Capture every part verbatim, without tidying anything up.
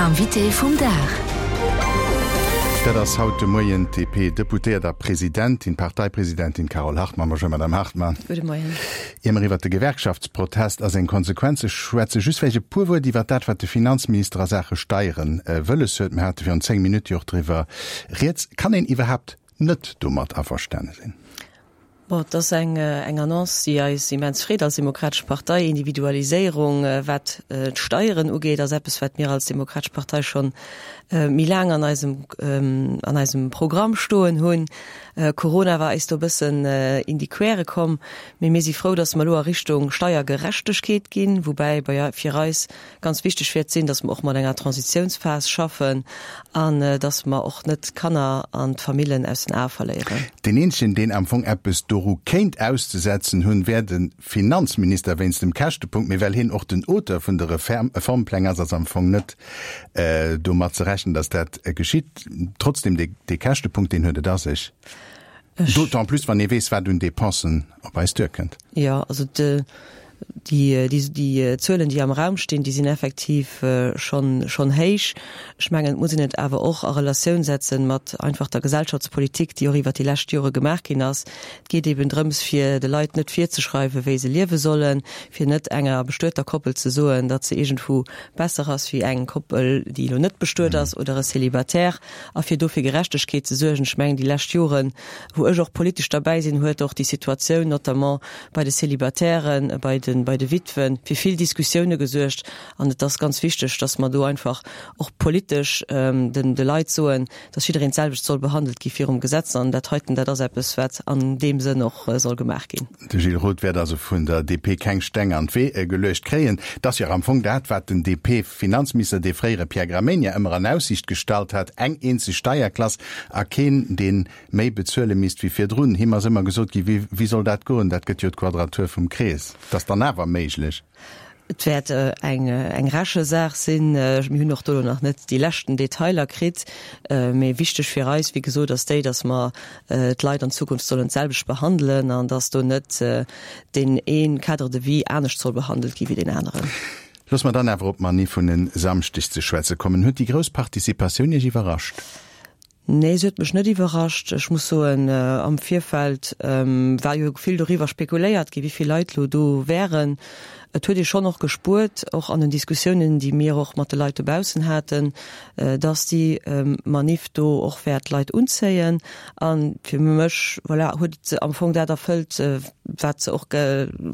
Invité vum Dag. Dat ass haut de Moien d'DP-Deputéiert a Presidentin, Parteipresidentin Carole Hartmann. Bonjour Madame Hartmann. Gudde Moien. Ier mer iwwert de Gewerkschaftsprotest a seng Konsequenze schwätzen, just vläicht e puer Wuert iwwert dat, wat de Finanzminister a Saache Steieren wëlles huet. Mir hate virun zéng Minutte jo och driwwer rieds. Kann een iwwerhaapt net domat averstane sinn? Bon, et ass eng eng Annonce, déi eis immens freet als Demokratesch Partei. Individualiséierung, wat d'Steieren ugeet, ass eppes, wat mir als Demokratesch Partei schonn méi laang an eisem an eisem Programm stoen hunn. Corona war eis do e bëssen in die Quere komm, mee mir si frou, datt mer elo a Richtung Steiergerechtegkeet ginn, woubäi bei fir eis ganz wichteg wäert sinn, datt mer och mat enger Transitiounsphas schaffen an datt mer och net d'Kanner an d'Famillen aus den Ae verléieren. Deen eenzegen, deen am Fong eppes doru kéint auszesetzen hunn, wär de Finanzminister wéinst dem Käschtepunkt. Mee well hien och den Auteur vun de Reformpläng ass, ass am Fong net domat ze rechnen, datt dat geschitt. Trotzdem, dee Käschtepunkt, deen huet et a sech. D'autant plus, wann ee weess, wat un Dépensen op eis duerkënnt. Jo, also de, déi, déi, déi Zuelen, déi am Raum stinn, déi sinn effektiv schonn, schonn héich. Ech mengen, et muss een et awer och a Relatioun setzen mat einfach der Gesellschaftspolitik, déi och iwwert déi lescht Jore gemaach ginn ass. Et geet eben drëms, fir de Leit net virzeschreiwen, wéi se liewe sollen, fir net enger bestueter Koppel ze soen, datt se iergendwou besser ass wéi eng Koppel, déi elo net bestuet ass oder e Célibataire, a fir do fir Gerechtegkeet ze suergen. Ech mengen, déi lescht Joren, wou ech och politesch derbäi sinn, huet och déi Situatioun notamment bei de Célibataires, bei de, bei de Witwen, fir vill Diskussioune gesuergt. An et ass ganz wichteg, datt mer do einfach och politesch den, de Leit soen, datt jiddereen d'selwecht soll behandelt gi virum Gesetz. An dat heiten, dat ass eppes, wat an deem Sënn och soll gemaach ginn. De Gilles Roth wäert also vun der D P keng Steng an d'Wee geluecht kréien. Et ass jo am Fong dat, wat den D P-Finanzminister, dee fréiere Pierre Gramegna, ëmmer an Aussiicht gestallt hat, eng eenzeg Steierklass a keen, dee méi bezuele misst wéi virdrun. Him ass ëmmer gesot gi, wéi, wéi soll dat goen, dat gëtt jo d'Quadratur vum Krees. Dat ass dann awer méiglech. Et wäert eng eng Rechesaach sinn. Mir hunn och do elo nach net déi leschten Detailer kritt. Mee wichteg fir eis, wéi gesot, ass déi, datt mer d'Leit an Zukunft sollen d'selwecht behandelen an datt do net deen ee Cadre de vie anescht soll behandelt gi wéi deen aneren. Loosse mer dann awer op d'Manif vun e Samschdeg ze schwätze kommen. Huet déi grouss Participatioun Iech iwwerrascht? Nee, se huet mech net iwwerrascht. Ech muss soen, am Virfeld war jo vill doriwwer spekuléiert gi wéi vill Leit lo do wären. Et huet ee schonn och gespuert, och an den Diskussiounen, déi mir och mat de Leit dobaussen haten, dass déi Manif do och wäert Leit unzéien. A fir mech, voilà, huet se am Fong dat erfëllt, wat se och,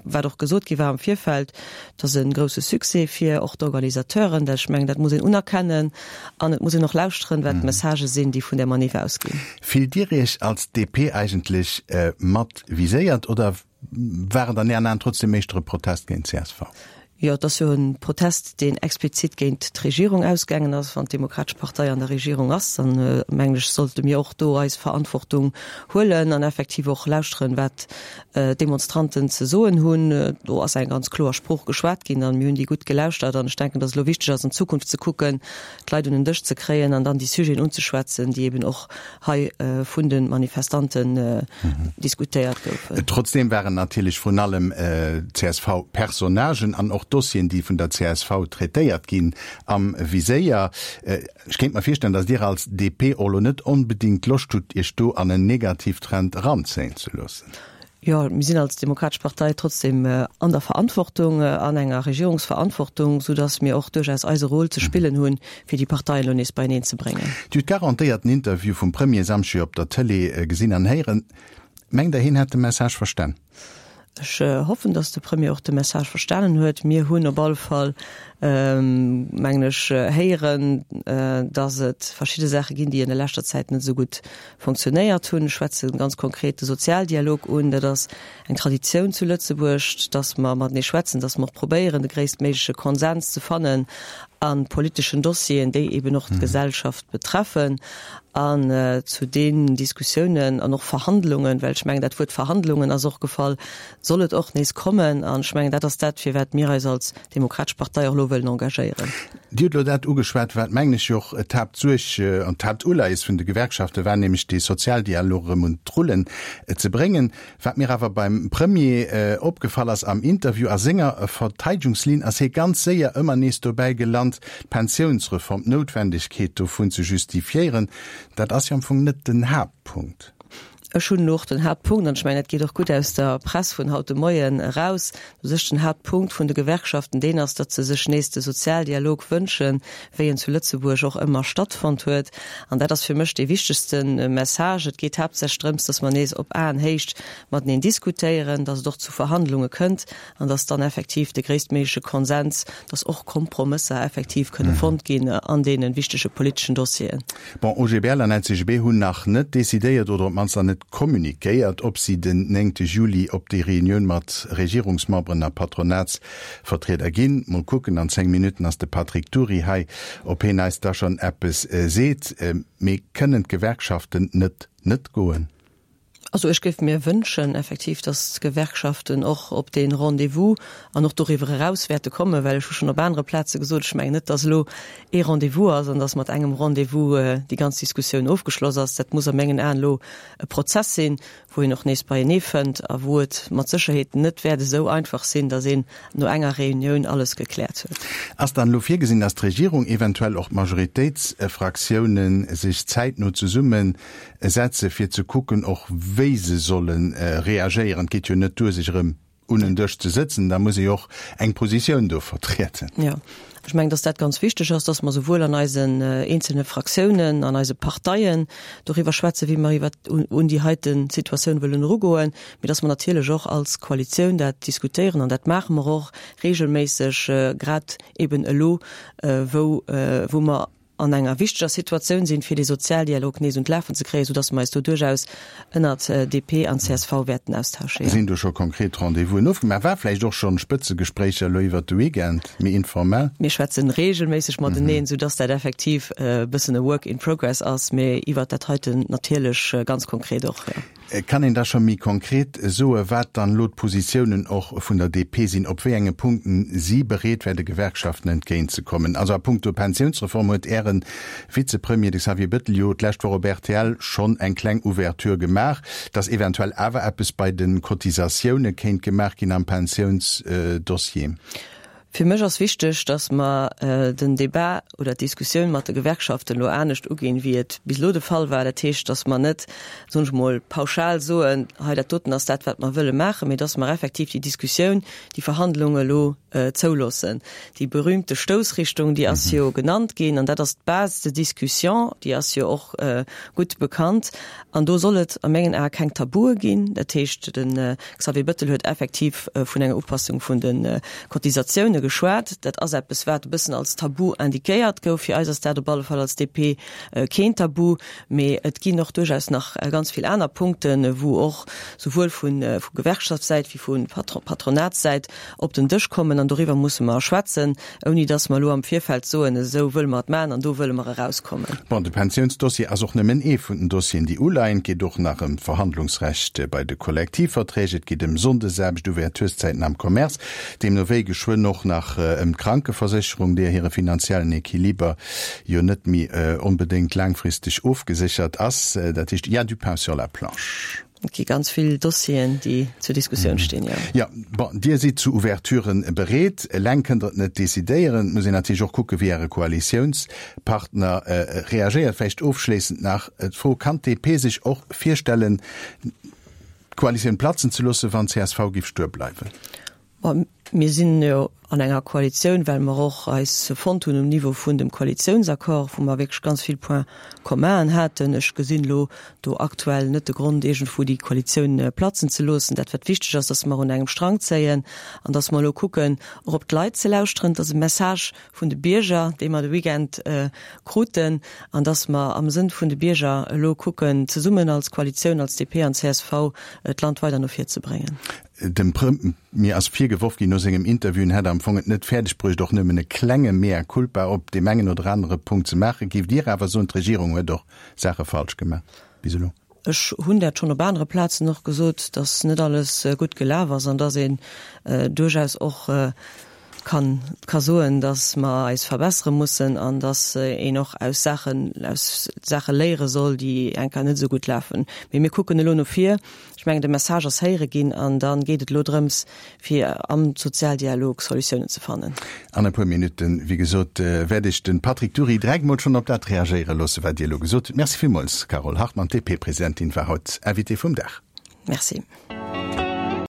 wat och gesot gi war am Virfeld, dass e grousse Succès fir och d'Organisateuren, dat ech mengen, dat muss een unerkennen an et muss een och lauschteren, wat d'Messagë sinn, déi vun där Manif ausginn. Fillt Dir Iech als D P eigentlech mat viséiert oder war et an Ären Aen trotzdem éischter e Protest géint C S V? Jo, et ass jo e Protest, deen explizit géint d'Regierung ausgaangen ass. Wann d'Demokratesch Partei an der Regierung ass, dann, mengen ech, sollte mir och do eis Verantwortung huelen an effektiv och lauschteren, wat d'Demonstranten ze soen hunn. Do ass eng ganz kloer Sprooch geschwat ginn an mir hunn déi gutt gelauschtert. An ech denken, dass et elo wichteg ass, an d'Zukunft ze kucken, d'Leit un en Dësch ze kréien an dann déi Sujeten unzeschwätzen, déi eben och hei vun de Manifestanten diskutéiert goufen. Trotzdem waren natierlech vrun allem C S V-Personnagen an och Dossieren, déi vun der C S V traitéiert ginn, am Viséier. Ech kéint mer virstellen, datt Dir als D P och elo net onbedéngt Loscht hutt, Iech do an en Negativtrend eranzéien ze loossen. Jo, mir sinn als Demokratesch Partei trotzdem an der Verantwortung, an enger Regierungsverantwortung, soudass mir och duerchaus eise Rôle ze spillen hunn, fir déi Parteien elo nees beieneen ze bréngen. Dir hutt garantéiert den Interview vum Premier e Samschdeg op der Tëlee gesinn an héieren. Mengt Der, hien hätt de Message verstan? Ech hoffen, dass de Premier och de Message verstanen huet. Mir hunn op alle Fall, mengen ech, héieren, dass et verschidde Saache ginn, déi an der leschter Zäit net esou gutt funktionéiert hunn. Ech schwätze ganz konkret de Sozialdialog un. Dat ass eng Traditioun zu Lëtzebuerg, dass mer matenee schwätzen, dass mer och probéieren, de gréisstméigleche Konsens ze fannen a politeschen Dossieren, déi eben och d'Gesellschaft betreffen. An zu deenen Diskussiounen an och Verhandlungen, well ech mengen, dat Wuert Verhandlungen ass och gefall, soll et och nees kommen. An ech mengen, dat ass dat, firwat mir eis als Demokratesch Partei och elo wëllen wëllen engagéieren. Dir hutt elo dat ugeschwat, wat, mengen ech, jo och d'Haaptsuerg an d'Haaptuleies vun de Gewerkschafte war, nämlech dee Sozialdialog erëm un d'Rullen ze bréngen. Wat mir awer beim Premier opgefall ass am Interview, a senger Verteidegungslinn ass hie ganz séier ëmmer nees dobäi gelant, d'Pensiounsreform, d'Noutwendegkeet dovun ze justifiéieren. Dat ass jo am Fong net den Haaptpunkt. Ech hunn och den Haaptpunkt, an ech mengen, dat geet och gutt aus der Press vun haut de Moien eraus, u sech den Haaptpunkt vun de Gewerkschaften deen ass, datt se sech nees de Sozialdialog wënschen, wéi en zu Lëtzebuerg och ëmmer stattfonnt huet. An dat ass fir mech dee wichtegste Message. Et geet haaptsächlech drëms, datt mer nees op Aenhéicht mateneen diskutéieren, datt et och zu Verhandlunge kënnt an datt dann effektiv de gréisstméigleche Konsens, datt och Kompromësser effektiv kënne fonnt ginn an deene wichtege politeschen Dossieren. Bon, OGBL an LCGB hunn nach net decidéiert oder op d'mannst nach net communiquéiert, ob si den néngte Juli op déi Reunioun mat Regierungsmemberen a Patronatsvertrieder ginn. Mol kucken, an zéng Minutten ass de Patrick Dury hei, ob hien eis da schonn eppes seet. Mee kënnen d'Gewerkschaften net net goen? Also ech géif mir wënschen effektiv, datt d'Gewerkschaften och op dee Rendez-vous an och doriwwer eraus wäerte kommen, well ech hu schonn op anere Plaze gesot, ech mengen net, datt elo ee Rendez-vous ass an datt mat engem Rendez-vous déi ganz Diskussioun ofgeschloss ass. Dat muss a mengen Aen elo e Prozess sinn, wou een och nees beienee fënnt a wou et mat Sécherheet net wäert esou einfach sinn, datt een no enger Reunioun alles gekläert huet. Ass dann elo virgesinn, datt d'Regierung, eventuell och d'Majoritéitsfraktiounen sech zäitno zesumme setze fir ze kucken och wéi se solle reagéieren? Et geet jo net duer sech erëm un en Dësch ze sëtzen, da muss ee jo och eng Positioun do vertrieden. Jo, ech mengen, dass dat ganz wichteg ass, dass mer souwuel an eisen eenzelne Fraktiounen, an eise Parteien doriwwer schwätzen, wéi mer iwwer un déi heite Situatioun wëllen erugoen, mee dass mer natierlech och als Koalitioun dat diskutéieren, an dat maache mer och regelméisseg, grad eben elo, wou wou mer an enger wichteger Situatioun sinn, fir dee Sozialdialog nees un d'Lafen ze kréien, soudass mer eis do duerchaus ënnert D P an C S V wäerten austauschen. Sinn do scho konkret Rendez-vousen ofgemaach? War vläicht och schonn Spëtzegespréicher elo iwwert de Weekend, méi informell? Mir schwätzen regelméisseg mateneen, soudass dat effektiv e bëssen e Work in progress ass, mee iwwert dat heiten natierlech ganz konkret och, jo. Kann een da scho méi konkret soe wat dann elo d'Positiounen och vun der D P sinn, op wéi enge Punkten si bereet wär de Gewerkschaften entgéintzekommen? Also a punkto Pensiounsreform huet Äre Vizepremier, de Xavier Bettel, jo d'lescht Woch op R T L schonn eng kleng Ouverture gemaach, datt eventuell awer eppes bei de Cotisatioune kéint gemaach ginn am Pensiounsdossier. Fir mech ass wichteg, datt mer den Débat oder d'Diskussioun mat de Gewerkschaften elo anescht uginn, wéi et bis elo de Fall war. Dat heescht, datt mer net, soen ech mol, pauschal soen, hei dat doten ass dat, wat mer wëlle maachen, mee datt mer effektiv déi Diskussioun, déi Verhandlung elo zouloossen. Déi berühmte Stoussrichtung, déi ass jo genannt ginn, an dat ass d'Base de discussion, déi ass jo och gutt bekannt. An do soll et a mengen Ae keng Tabue ginn. Dat heescht, de Xavier Bettel huet effektiv vun enger Upassung vun de Cotisatioune geschwat. Dat ass eppes, wat e bëssen als Tabu indiquéiert gouf. Fir eis ass dat op alle Fall als D P keen Tabu. Mee et ginn och duerchaus nach ganz vill aner Punkten, wou och souwuel vu Gewerkschaftssäit wéi vu Patronatssäit op den Dësch kommen an doriwwer musse mer schwätzen, ouni datt mer elo am Virfeld soen, esou wëlle mer et maachen an do wëlle mer erauskommen. Bon, de Pensiounsdossier ass och nëmmen ee vun den Dossieren, déi uleien. Et geet och nach ëm d'Verhandlungsrecht bei de Kollektivverträg, et geet ëm Sonndesaarbecht, Ouvertureszäiten am Commerce, deemno wéi geschwënn och nach ëm d'Krankeversécherung, deer hire finanziellen Equiliber jo net méi onbedéngt laangfristeg ofgeséchert ass. Dat heescht, il y a du pain sur la planche. Et gi ganz vill Dossieren, déi zur Diskussioun stinn, jo. Jo, bon, Dir sidd zu Ouverturen bereet. Eleng kënnt Der et net decidéieren. Et muss een natierlech och kucken, wéi Äre Koalitiounspartner reagéiert. Vläicht ofschléissend nach d'Fro, Kann d'D P sech och virstellen, d'Koalitioun platzen ze loossen, wann d'C S V géif stuer bleiwen? Bon, mir sinn jo an enger Koalitioun, well mer och eis fonnt hunn um Niveau vun dem Koalitiounsaccord, wou mer wierklech ganz vill Points communen haten. Ech gesinn elo do aktuell net de Grond, iergendwou déi Koalitioun platzen ze loossen. Dat, wat wichteg ass, dass mer un engem Strang zéien an dass mer elo kucken, och op d'Leit ze lauschteren. Dat ass e Message vun de Bierger, dee mer de Weekend kruten, an dass mer am Sënn vun de Bierger elo kucken, zesummen als Koalitioun, als D P an C S V, d'Land weider no vir ze bréngen. Dem Premier ass virgeworf ginn no sengem Interview, en hätt am Fong et net fäerdeg bruecht, och nëmmen e klenge Mea culpa op deem engen oder anere Punkt ze maachen. Géift Dir awer soen, d'Regierung huet och Saache falsch gemaach bis elo? Ech hunn dat schonn op anere Plazen och gesot, datt net alles gutt gelaf ass an datt een duerchaus och kann ka soen, dass mer eis verbessere mussen an dass een och aus Saachen aus Saache léiere soll, déi eng Kéier net esou gutt lafen. Mee mir kucken elo no vir. Ech mengen de Message ass héiere ginn an dann geet et elo drëms, fir am Sozialdialog Solutiounen ze fannen. An e puer Minutten, wéi gesot, wäert ech de Patrick Dury direkt mol schonn op dat reagéiere loosse, wat Dir elo gesot hutt. Merci villmools, Carole Hartmann, d'DP-Presidentin war haut Invitée vum Dag. Merci.